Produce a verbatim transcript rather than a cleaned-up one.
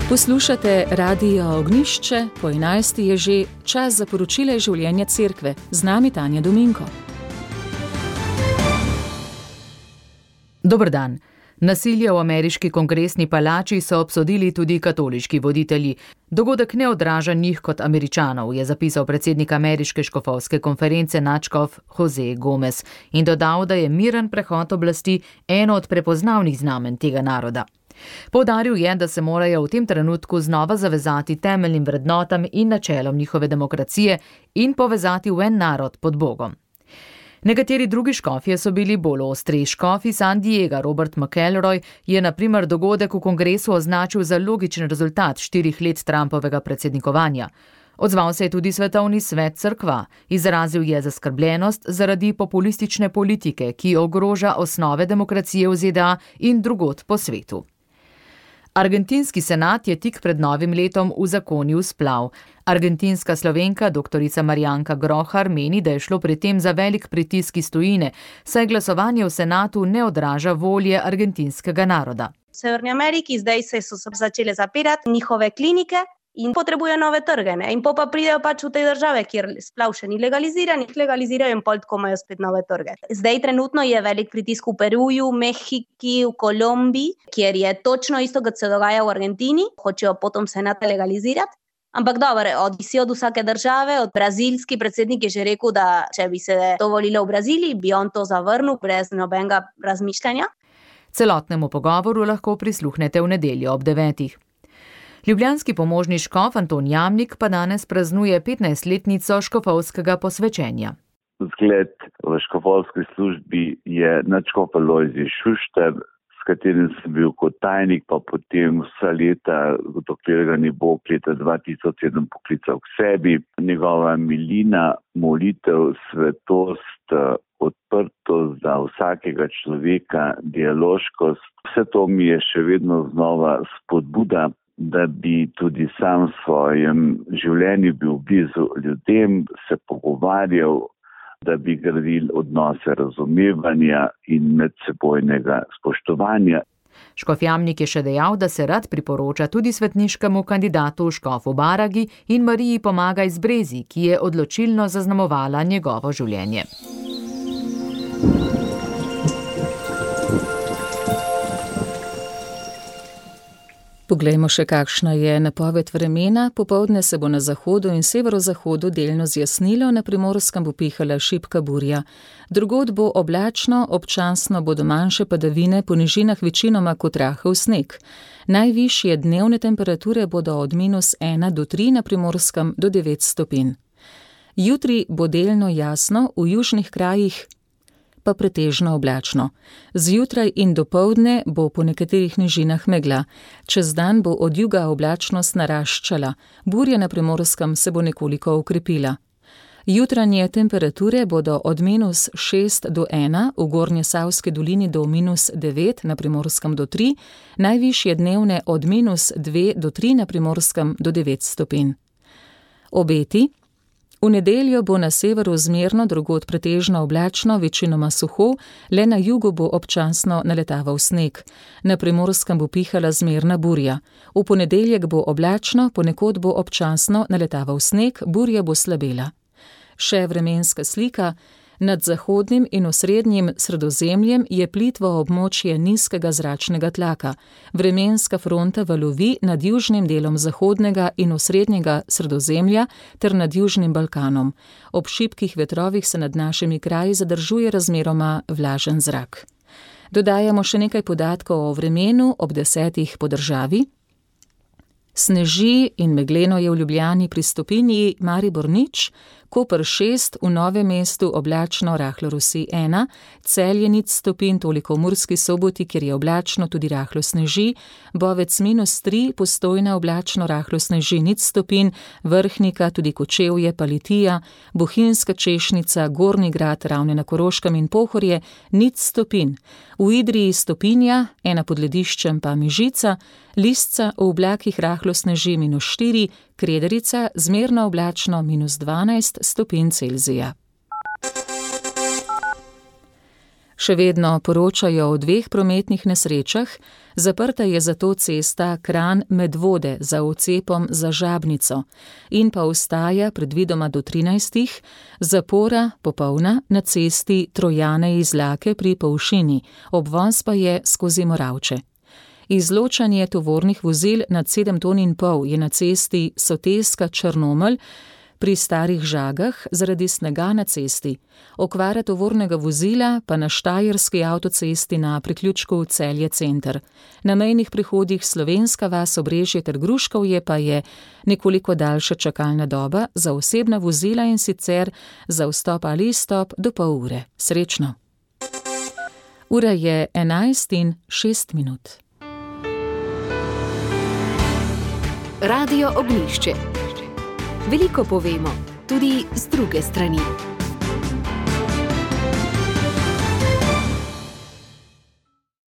Poslušate Radio Ognjišče, po enajsti je že čas za poročile življenja cerkve. Z nami Tanja Dominko. Dober dan. Nasilje v ameriški kongresni palači so obsodili tudi katoliški voditelji. Dogodek ne odraža njih kot Američanov, je zapisal predsednik ameriške škofovske konference nadškof Jose Gomez in dodal, da je miren prehod oblasti eno od prepoznavnih znamenj tega naroda. Poudaril je, da se morajo v tem trenutku znova zavezati temeljnim vrednotam in načelom njihove demokracije in povezati v en narod pod Bogom. Nekateri drugi škofje so bili bolj ostri. Škof iz San Diega Robert McElroy je na primer dogodek v kongresu označil za logičen rezultat štirih let Trumpovega predsednikovanja. Odzval se je tudi svetovni svet cerkva. Izrazil je zaskrbljenost zaradi populistične politike, ki ogroža osnove demokracije v Z D A in drugod po svetu. Argentinski senat je tik pred novim letom uzakonil splav. Argentinska Slovenka doktorica Marijanka Grohar meni, da je šlo pri tem za velik pritisk iz tujine, saj glasovanje v senatu ne odraža volje argentinskega naroda. V Severni Ameriki zdaj se so začele zapirati njihove klinike in potrebujejo nove trge. Ne? In po pa pridejo pač v te države, kjer splav še ni legaliziran, jih legalizirajo in pol tako imajo spet nove trge. Zdaj trenutno je velik pritisk v Peruju, Mehiki, v Kolumbiji, kjer je točno isto, kot se dogaja v Argentini, hočejo potom senat legalizirati. Ampak dobro, odvisi od vsake države, od brazilski predsednik je že rekel, da če bi se to volilo v Braziliji, bi on to zavrnil brez nobenega razmišljanja. Celotnemu pogovoru lahko prisluhnete v nedeljo ob devetih. Ljubljanski pomožni škof Anton Jamnik pa danes praznuje petnajstletnico škofovskega posvečenja. Zgled v škofovski službi je nadškof Alojzij Šuštar, s katerim sem bil kot tajnik, pa potem vsa leta, dokler ga ni Bog leta dva tisoč sedem poklical k sebi. Njegova milina, molitev, svetost, odprtost za vsakega človeka, dialoškost, vse to mi je še vedno znova spodbuda, da bi tudi sam v svojem življenju bil blizu ljudem, se pogovarjal, da bi gradil odnose razumevanja in medsebojnega spoštovanja. Škof Jamnik je še dejal, da se rad priporoča tudi svetniškemu kandidatu škofu Baragi in Mariji Pomagaj z Brezi, ki je odločilno zaznamovala njegovo življenje. Poglejmo še, kakšna je napoved vremena. Popoldne se bo na zahodu in severozahodu delno zjasnilo, na Primorskem bo pihala šibka burja. Drugod bo oblačno, občasno bodo manjše padavine, po nižinah večinoma kot rahel sneg. Najvišje dnevne temperature bodo od minus ena do tri, na Primorskem do devet stopinj. Jutri bo delno jasno, v južnih krajih pa pretežno oblačno. Zjutraj in dopoldne bo po nekaterih nižinah megla. Čez dan bo od juga oblačnost naraščala. Burja na Primorskem se bo nekoliko ukrepila. Jutranje temperature bodo od minus šest do ena, v Gornjesavski dolini do minus devet, na Primorskem do tri, najvišje dnevne od minus dve do tri, na Primorskem do devet stopinj. Obeti. V nedeljo bo na severu zmerno, drugod pretežno oblačno, večinoma suho, le na jugu bo občasno naletaval sneg. Na Primorskem bo pihala zmerna burja. V ponedeljek bo oblačno, ponekod bo občasno naletaval sneg, burja bo slabela. Še vremenska slika. Nad zahodnim in osrednjim Sredozemljem je plitvo območje nizkega zračnega tlaka. Vremenska fronta valovi nad južnim delom zahodnega in osrednjega Sredozemlja ter nad južnim Balkanom. Ob šibkih vetrovih se nad našimi kraji zadržuje razmeroma vlažen zrak. Dodajamo še nekaj podatkov o vremenu ob desetih po državi. Sneži in megleno je v Ljubljani pri stopinji, Maribor nič, Koper šest, v Novem mestu oblačno, rahlo rosi ena, Celje nič stopinj, toliko v Murski Soboti, kjer je oblačno, tudi rahlo sneži, Bovec minus tri, Postojna oblačno, rahlo sneži nič stopinj, Vrhnika, tudi Kočevje, pa Litija, Bohinjska Češnica, Gornji Grad, Ravne na Koroškem in Pohorje nič stopinj. V Idriji stopinja, ena pod Lediščem pa Mižica, Lisca v oblakih rahlo sneži minus štiri, Krederica zmerno oblačno minus dvanajst stopinj Celzija. Še vedno poročajo o dveh prometnih nesrečah, zaprta je zato cesta Kranj-Medvode za odcepom za Žabnico in pa ostaja predvidoma do trinajstih zapora popolna na cesti Trojane-Izlake pri Povšini, obvoz pa je skozi Moravče. Izločanje tovornih vozil nad sedem ton in pol je na cesti Soteska-Črnomelj pri Starih Žagah zaradi snega na cesti, okvara tovornega vozila pa na štajerski avtocesti na priključku Celje center. Na mejnih prehodih Slovenska vas, Obrežje ter Gruškovje pa je nekoliko daljša čakalna doba za osebna vozila in sicer za vstop ali izstop do pol ure. Srečno! Ura je enajst in šest minut. Radio Ognjišče. Veliko povemo, tudi z druge strani.